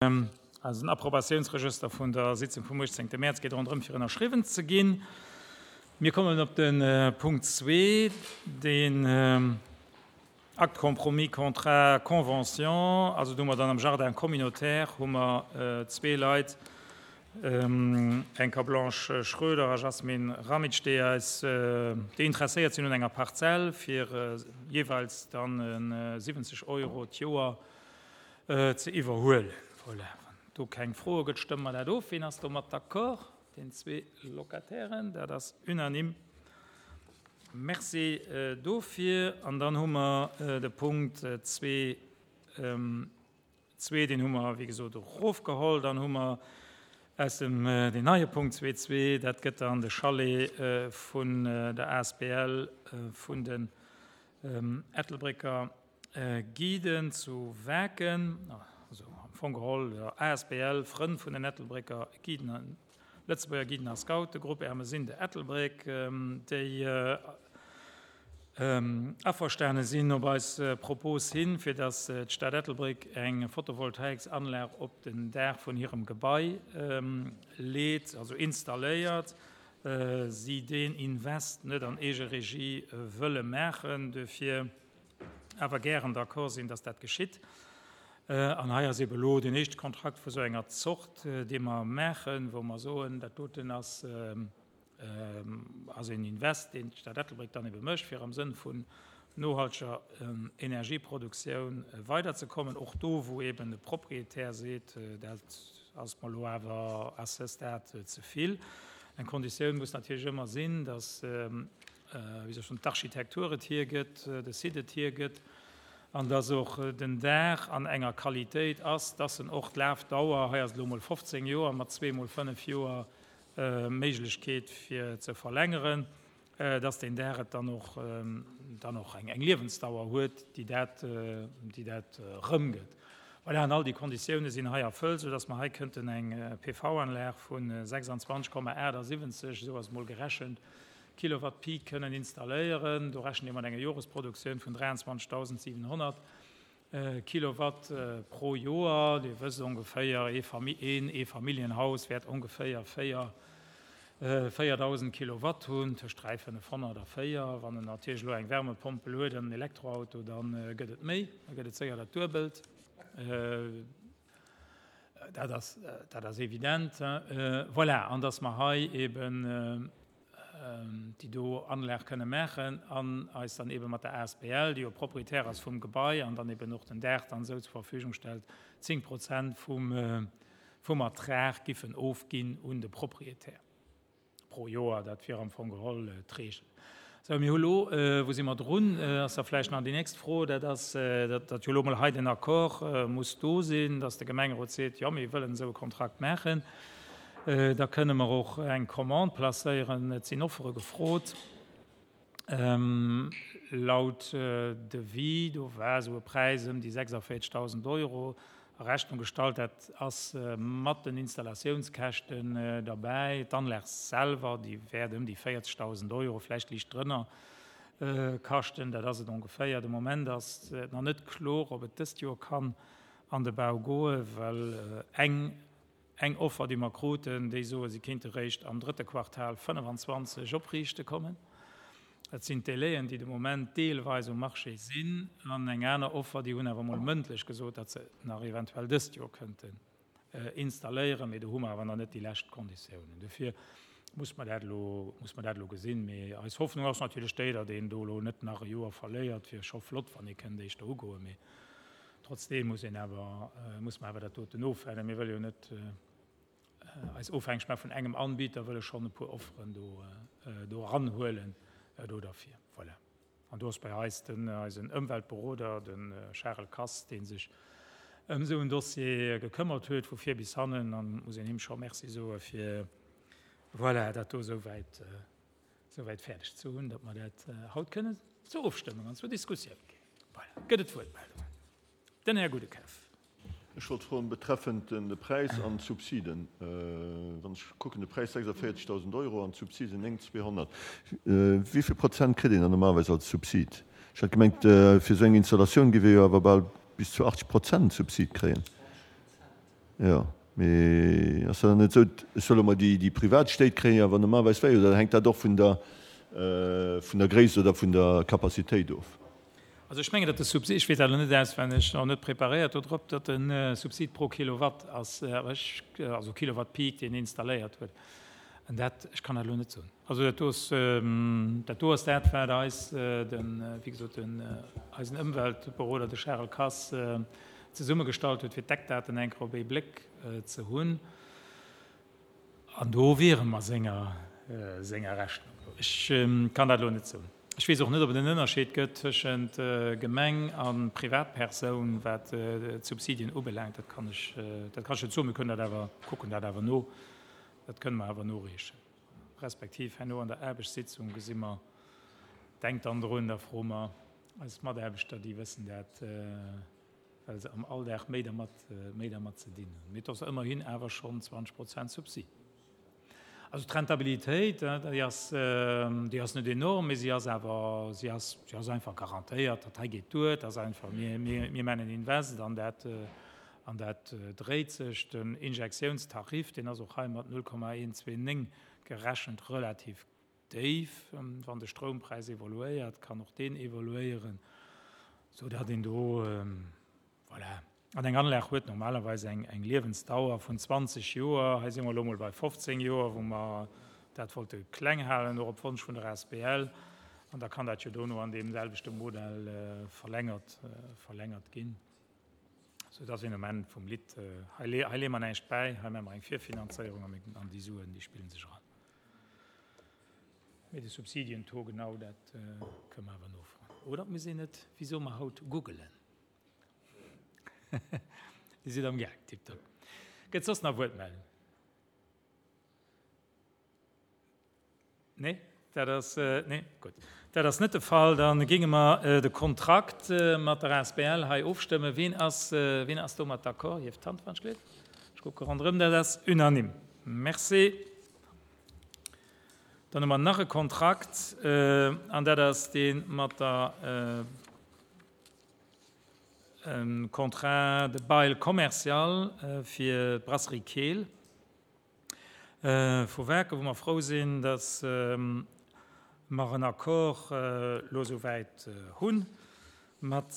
Eisen Approbatiounsregëster vun der Sitzung vum 18. Mäerz geet ronderëm fir ënnerschriwwen ze ginn. Mir kommen op de Punkt zwee, deen Acte compromis contrat convention. Also do hu mer dann am Jardin communautaire hu mer zwee Leit, Enka Blanche Schroeder a Jasmin Ramic, déi eis, déi interesséiert sinn un enger Parzell fir jeeweils dann 70 Euro d'Joer ze iwwerhuelen. Voilà, wann do keng Froe gëtt, stëmme mer dat of. Wien ass domat d'accord? Den zwee Locatairen. Dat ass unanime. Merci dofir. An dann hu mer de Punkt zwee, zwee, deen hu mer, wéi gesot, erofgeholl. Dann hu mer aus dem, deen neie Punkt zwee, zwee, dat gëtt dann de Chalet vun der asbl vun den Ettelbrécker Guiden zu Waarken, also am Fong geholl der asbl Frënn vun den Ettelbrécker Guiden, Lëtzebuerger Guiden a Scoutegrupp Ermesinde Ettelbréck, déi averstane sinn op eis Propos hin, fir datt d'Stad Ettelbréck eng Photovoltaiksanlag op den Daach vun hirem Gebai leet, also installéiert, si deen Invest net an Eegeregie wëlle maachen. Duerfir awer gären d'accord sinn, dass dat geschitt. An hei ass ebe elo deen éischte Kontrakt vu sou enger Zort, dee mer maachen, wou mer soen, dat doten ass, ass een Invest, deen d'Stad Ettelbréck dann ebe mécht, fir am Sënn vun nohalteger Energieproduktioun weiderzekommen, och do, wou eben de Proprietär seet, dat ass mer elo awer à ce stade ze vill. Eng Konditioun muss natierlech ëmmer sinn, dass wéi soll ech soen, d'Architektur et hiergëtt, de Site et hiergëtt, an dass och den Daach an enger Qualitéit ass, dass en och d'Lafdauer, hei ass et elo emol 15 Joer mat zweemol 5 Joer Méiglechkeet fir ze verlängeren, dass deen Daach et dann och dann och eng Liewensdauer huet, déi dat, déi dat erëmgëtt. Voilà, an all déi Konditioune sinn hei erfëllt, soudass mer hei kënnten eng PV-Anlag vu 26,78, esou ass et emol gerechent, Kilowatt Peak kënnen installéieren. Do rechent ee mat enger Joresproduktioun vun 23.700 Kilowatt pro Joer. Dir wësst ongeféier, een Eefamilljenhaus wäert ongeféier 4.000 Kilowatt hunn, tëscht 3 500 a 4. Wann en natierlech elo eng Wärmepompel huet an en Elektroauto, da gëtt et méi, da gëtt et séier dat Duebelt. Dat ass, dat ass evident. Voilà, an dass mer hei eben déi do Anlag kënne maachen an eis dann ebe mat der asbl, déi jo Proprietär ass vum Gebai an dann eben och den Daach dann esou zur Verfügung stellt, 10 Prozent vum, vum Ertrag giffen ofginn un de Proprietär. Pro Joer, dat wier am Fong geholl d'Regel. Sou, mir hu lo, wou si mer drun, ass da vläicht nach déi nächst Fro, dat ass, datt jo elo mol hei den Accord muss do sinn, datt de Gemengerot seet, jo, mir wëllen esou e Kontrakt maachen. Da kënne mer och eng Commande placéieren. Et sinn Offere gefrot. Laut Devis, do war esou e Präis ëm déi 46.000 Euro a Rechnung gestallt. Dat ass mat den Installatiounskäschten derbäi. D'Anlag selwer, déi wäert ëm déi 40.000 Euro, vläicht liicht drënner, kaschten. Dat ass et ongeféier. De Moment ass et nach net kloer, ob et dëst Joer kann an de Bau goen, well eng Eng Offer, déi mer kruten, déi soe si kéinte réischt am drëtte Quartal 25 opriichte kommen. Dat sinn d'Délaien, déi de Moment deelweis um Marché sinn. An eng aner Offer, déi hunn awer emol mëndlech gesot, datt se nach eventuell dëst Joer kënnten installéieren, mee do hu mer awer nach net déi lescht Konditiounen. Dofir muss mer dat elo, muss mer dat elo gesinn. Mee eis Hoffnung ass natierlech déi, datt een do elo net nach e Joer verléiert. Wier scho flott, wann ee kënnt éischter ugoen, mee Trotzdeem muss een awer, muss mer awer dat doten ofwännen. Mir wëlle jo net eis ofhängeg maache vun engem Anbieter, wëlle schonn e puer Offeren do, do eranhuelen do derfir. Voilà. An do ass bei eis den, eisen Ëmweltberoder, de Charel Kass, dee sech ëm esou en Dossier gekëmmert huet, vu vir bis hannen, an muss een him scho Merci soe fir, voilà, dat do esou wäit, souwäit fäerdeg ze hunn, datt mer dat haut kënnen zur Ofstëmmung an zur Diskussioun ginn. Voilà. Gëtt et Wuertmeldungen? Den Här Goudekef. Ech wollt froen betreffend de Präis an d'Subsiden. Wann ech kucken, de Präis 46.000 Euro an d'Subsiden 9.200, wéi vill Prozent kritt een dann normalerweis als Subsid? Ech hat gemengt, fir esou eng Installatioun géif ee jo awer bal bis zu 80 Prozent Subsid kréien. Jo, mee ass dat dann net esou, ech soe lo mol, déi privat Stéit kréien jo awer normalerweis wéi, oder hänkt dat och vun der, vun der Gréisst oder vun der Capacitéit of? Also ech mengen, datt de Subsid, ech weess dat elo net auswenneg, och net preparéiert do drop, datt de Subsid pro Kilowatt ass, awer ech, also Kilowatt Peak, deen installéiert huet. An dat, ech kann dat elo net soen. Also dat do ass, dat do ass dat, wat eis den, wéi gesot, den, eisen Ëmweltberoder, de Charel Kass, zesummegestallt huet, fir d'Eckdaten eng Kéier op ee Bléck ze hunn. An do wiere mer senger, senger Rechnung no. Ech kann dat elo net soen. Ech weess och net, ob et en Ënnerscheed gëtt tëschent Gemeng a Privatpersoun, wat d'Subsidien ubelaangt. Dat kann ech, dat kann ech net soen. Mir kënnen dat awer, kucken dat awer no. Dat kënne mer awer noreechen. Respektiv herno an der Aarbechtssitzung gesi mer, denkt dann drun, da froe mer eis Mataarbechter, déi wëssen dat, well se am Alldag méi dermat, méi dermat ze dinn hunn. Mee et ass ëmmerhin awer schonn 20 Prozent Subsid. Also d'Rentabilitéit, déi ass, déi ass net enorm, mee si ass awer, si ass, si ass einfach garantéiert. Dat hei geet duer, dat ass einfach, mir, mir, mir maachen en Invest an dat, an dat dréit sech. Den Injektiounstarif, deen ass och hei mat 0,129 gerechent relativ déif. Wann de Stroumpräis evoluéiert, kann och deen evoluéieren, soudatt een do, voilà. An eng Anlag huet normalerweis eng Liewensdauer vun 20 Joer. Hei si mer elo mol bei 15 Joer, wou mer dat wollte kleng halen, och op Wonsch vun der asbl. An da kann dat jo dono an deem selwechte Modell verlängert, verlängert ginn, soudass een um Enn vum Lidd, hei leeë mer näischt bäi, hei maache mer eng Virfinanzéierung an déi Suen, déi spille sech eran. Mee de Subsidientaux genau, dat kënne mer awer nofroen. Oder et muss een et, wéi soe mer haut, googelen. Dir sidd am Gaang, tiptop. Gëtt soss nach Wuertmeldungen? Nee, dat ass, nee, gutt. Dat ass net de Fall. Da géinge mer de Kontrakt mat der asbl hei ofstëmmen. Wien ass, wien ass domat d'accord? Hieft d'Hand, wann ech gleef. Ech kucke ronderëm, dat ass unanime. Merci. Dann hu mer nach e Kontrakt, an dat ass dee mat der Contrat de bail commercial fir d'Brasserie Keel vu Waarken, wou mer frou sinn, dass mer en Accord elo esouwäit hu mat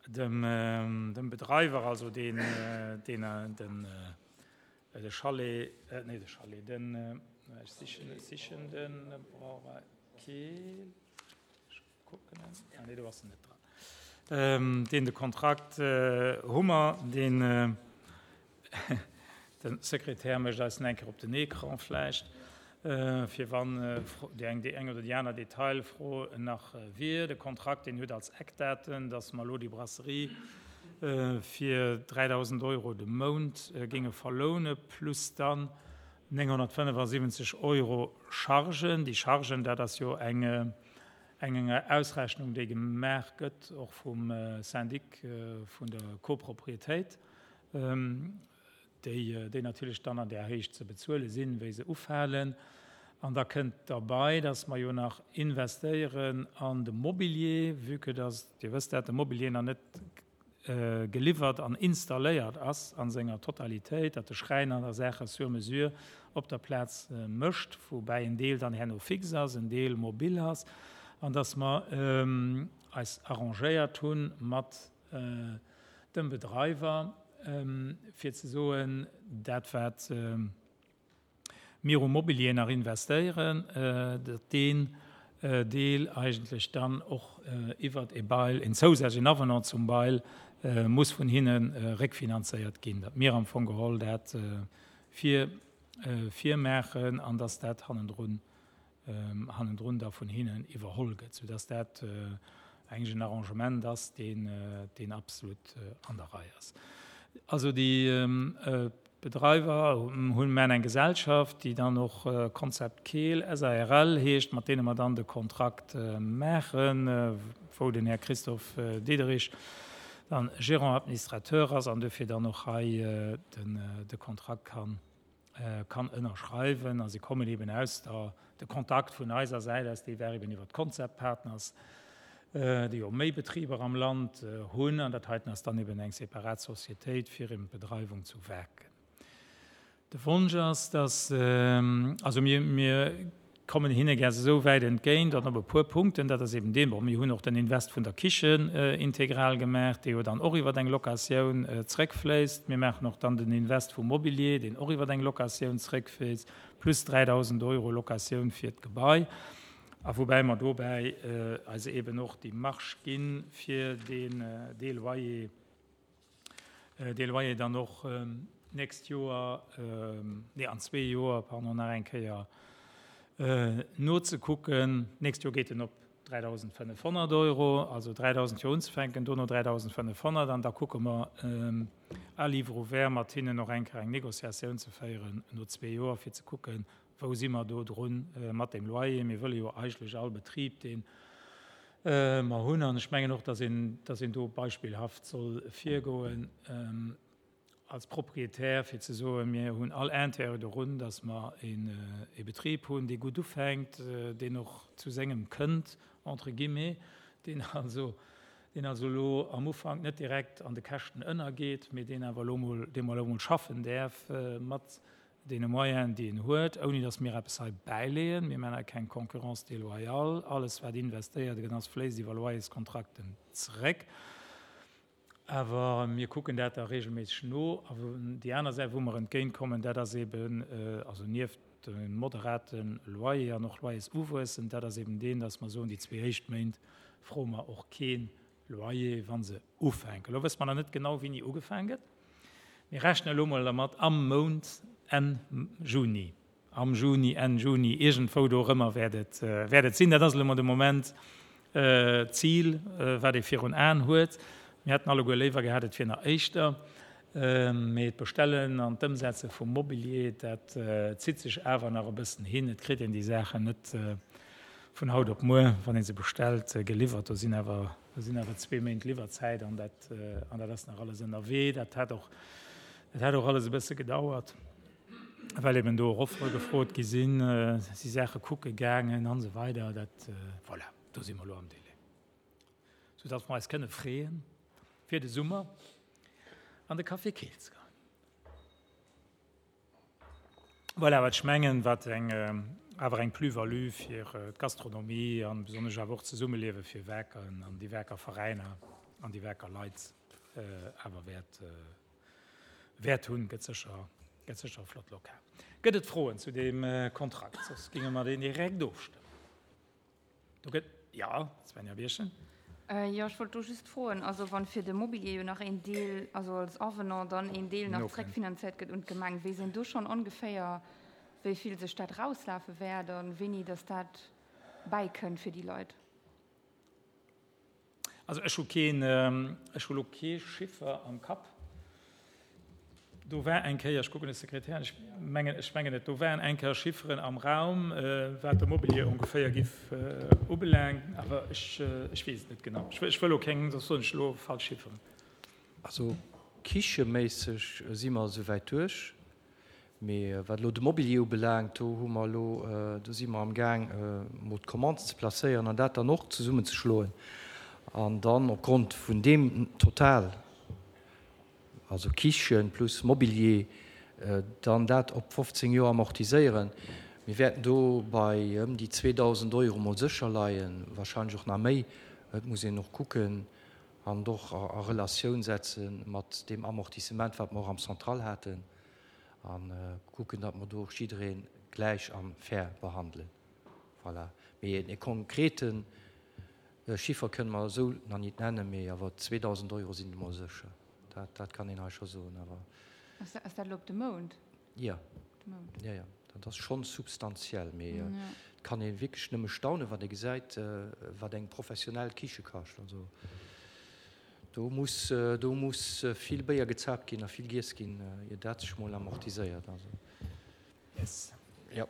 dem Bedreiwer, also deen de Chalet, nee de Chalet, den, ech sichen de Brauerei Keel. Kucken, ah nee, do ass en net dran. Deen de Kontrakt hu mer, deen de Sekretär mécht eis en eng Kéier op den Ecran vläicht, fir wann déi eng, déi eng oder déi aner Detailfro nach wier. De Kontrakt, deen huet als Eckdaten, dass mer elo déi Brasserie fir 3.000 Euro de Mount géinge verloune plus dann 975 Euro Chargen. Déi Chargen, dat ass jo eng Eng Ausrechnung, déi gemaach gëtt, och vum Syndic vun der Copropriétéit, déi natierlech dann an där Héicht ze bezuele sinn, wéi se ufalen. An da kënnt derbei, dass mer jo nach investéieren an de Mobilier, vue que dass, Dir wësst dat, de Mobilier nach net geliwwert an installéiert ass a senger Totalitéit, datt de Schräiner da Saache sur mesure op der Plaz mécht, woubäi en Deel dann herno fix ass, en Deel mobil ass, an datt mer eis arrangéiert hu mat dem Bedreiwer, fir ze soen, dat wat mir u Mobilier nach investéieren, datt deen Deel eigentlech dann och iwwert e Bail, en zousätzlechen Avenant zum Bail, muss vun hinne réckfinanzéiert ginn, datt mir am Fong geholl dat vir virmaachen an datt dat hannendrun hannendrun da vun hinnen iwwerholl gëtt, soudass dat eigentlech en Arrangement ass, deen, deen absolut an der Rei ass. Also déi Bedreiwer hunn, maachen eng Gesellschaft, déi dann och Concept Keel SARL heescht, mat deene mer dann de Kontrakt maachen, wou den Här Christophe Diederich dann Gérant administrateur ass an dofir dann och hei den, de Kontrakt kann kann ënnerschreiwen a se kommen eben aus der, de Kontakt vun eiser Säit aus, dee war eben iwwer d'Concept Partners. déi jo méi Betriber am Land hunn, an dat heiten ass dann eben eng separat Societéit fir eben d'Bedreiwung zu Waarken. De Wonsch ass, dass, also mir, mir kommen hinne gär esou wäit entgéint an op e puer Punkten, dat ass eben deen, bon, mir hunn och den Invest vun der Kichen integral gemaach, dee jo dann och iwwer eng Locatioun zréckfléisst. Mir maachen och dann den Invest vum Mobilier, deen och iwwer eng Locatioun zréckfléisst, plus 3.000 Euro Locatioun fir d'Gebai. A woubäi mer dobäi eis eben och déi Marge ginn, fir deen, dee Loyer, dee Loyer dann och d'nächst Joer, nee an zwee Joer, pardon, nach eng Kéier nozekucken. D'nächst Joer geet en op 3.500 Euro, also 3.000 fir unzefänken, dono 3.500 an da kucke mer à livre ouvert mat hinnen och eng Kéier eng Négociatioun ze féieren no zwee Joer, fir ze kucken, Wou si mer do drun mat deem Loyer? Mir wëlle jo eigentlech all Betrib, dee mer hunn, an ech mengen och, dass een, dass een do beispillhaft soll virgoen als Propriétaire, fir ze soen, mir hunn all Intérêt dorun, dass mer e Betrib hunn, dee gutt ufänkt, deen och zu sengem kënnt, entre guillemets, deen also, deen also elo am Ufank net direkt an de Käschten ënnergeet, mee deen awer elo mol, dee mer elo mol schaffen däerf mat deene Moyenen, déi en huet, ouni datt mir eppes hei bäileeën. Mir maachen hei keng Concurrence déloyale. Alles, wat investéiert gëtt ass, fléisst iwwer Loyerskontrakten zeréck. Awer mir kucken dat da regelméisseg no. A déi aner Säit, wou mer entgéintkommen, dat ass eben, also nieft dem moderate Loyer an och Loyersuwuessen, dat ass eben deen, datt mer soen, déi zwee éischt Méint froe mer och kee Loyer, wa se ufänken. Elo wësse mer nach net genau, wéini ugefaang gëtt. Mir rechnen elo mol dermat am Mount Enn Juni, am Juni, Enn Juni, iergendwou dorëmmer wäert et, wäert et sinn. Dat ass elo mol de Moment d'Zil, wat ee virun Aen huet. Mir hätten alleguer léiwer gehat, et wier nach éischter, mee d'Bestellen an d'Ëmsetze vum Mobilier, dat zitt sech awer nach e bëssen hin. Et kritt een déi Saachen net vun haut op muer, wann ee se bestellt, geliwwert. Do sinn awer, do sinn awer zwee Méint Liwwerzäit an dat, an dat ass nach alles ënnerwee. Dat hat och, dat hat och alles e bësse gedauert, well eben do och Offere gefrot gi sinn, si Saache kucke gaangen an esou weider. Dat, voilà, do si mer elo am Délai, soudatt mer eis kënne freeën, fir de Summer an de Café Keel ze goen. Voilà, wat ech mengen, wat eng, awer eng Plus-value fir d'Gastronomie an besonnesch awer och d'Zesummeliewe fir Werkeren an déi Werker Veräiner an déi Werker Leit awer wäert, wäert hunn. Gëtt sécher, gëtt sécher e flott Lokal. Gëtt et Froen zu deem Kontrakt? Soss géinge mer deen direkt ofstëmmen. Do gëtt, jo, Svenja Birchen. Jo, ech wollt do just froen, also wann fir de Mobilier jo nach een Deel, also als Avenant dann een Deel nach zréckfinanzéiert gëtt un d'Gemeng, weess een do schonn ongeféier, wéi vill sech dat erauslafe wäert a wéini datt dat bäikënnt fir déi Leit? Also ech hu keen, ech hu lo kee Chiffer am Kapp. Do war eng Kéier, ech kucken de Sekretär an, ech mengen, ech mengen net, do waren eng Kéier Chifferen am Raum, wat de Mobilier ongeféier giff ubelaangen, awer ech, ech weess et net genau. Ech wëll elo keng, soss soen ech elo falsch Chifferen. Also kicheméisseg si mer esouwäit duerch. Mee wat elo de Mobilier ubelaangt, do hu mer elo, do si mer amgaang emol d'Commande ze placéieren an dat dann och zesummenzeschloen an dann opgrond vun deem Total, also Kichen plus Mobilier, dann dat op 15 Joer amortiséieren. Mir wäerten do bei ëm déi 2.000 Euro mol sécher leien, wahrscheinlech och nach méi. Et muss een och kucken an och a Relatioun setze mat deem Amortissement, wat mer och am Central haten, a kucken, datt mer do och jidderee gläich a fair behandelen. Voilà. Mee e konkrete Chiffer kënne mer esou nach nit nennen, mee awer 2.000 Euro sinn et emol sécher. Dat, dat kann een hei scho soen. Awer. Ass dat elo op de Mount? Jo. Jo, jo. Dat ass schonn substantiell. Mee et kann ee wierklech nëmme staunen, wann ee gesäit, wat eng professionell Kiche kascht. Also do muss, do muss vill Béier gezaapt ginn a vill giess ginn, ier dat sech mol amortiséiert. Also. Yes. Jo.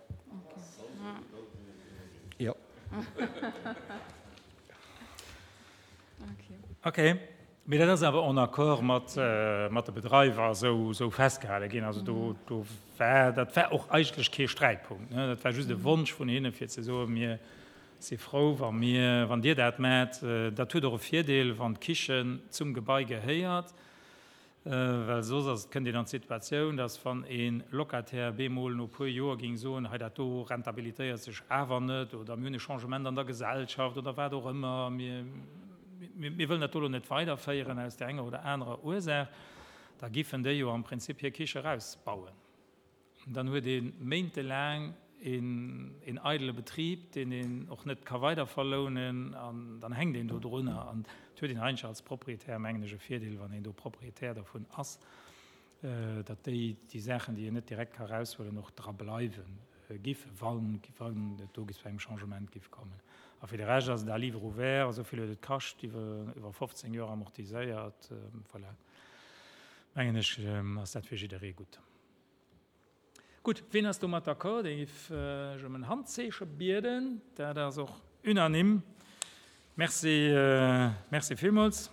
Jo. Okay. Mee dat ass awer en accord mat, mat de Bedreiwer esou, esou festgehale ginn. Also do, do war, dat war och eigentlech kee Sträitpunkt, ne. Dat war just e Wonsch vun hinne fir ze soen, mir. Si frou, wa mir, wann Dir dat maacht. Dat huet och e Virdeel, wann d'Kichen zum Gebai gehéiert, well soss ass, kënnt een an d'Situatioun, dass wann e Locataire bemol no e puer Joer géing soen, hei dat do rentabilitéiert sech awer net oder mir hunn e Changement an der Gesellschaft oder wat och ëmmer, mir, mir wëllen dat do elo net weiderféieren aus där enger oder anerer Ursaach, da giffen déi jo am Prinzip hir Kiche erausbauen. Dann huet ee méintelaang een eidele Betrib, deen een och net ka weiderverlounen, an dann hänkt een do drunner. An et huet een eigentlech als Proprietär, mengen ech, e Virdeel, wann een do Proprietär dervun ass, datt déi, déi Saachen, déi een net direkt ka eraushuelen, och dra bleiwe giffen, wann et do zu engem Changement giff kommen. A fir de Rescht ass et à livre ouvert, esou vill huet et kascht, iwwer 15 Joer amortiséiert. Voilà, mengen ech, ass dat fir jidderee gutt. Gutt, wien ass domat d'accord? Dee giff ech ëm en Handzeeche bieden. Dat ass och unanime. Merci, merci villmools.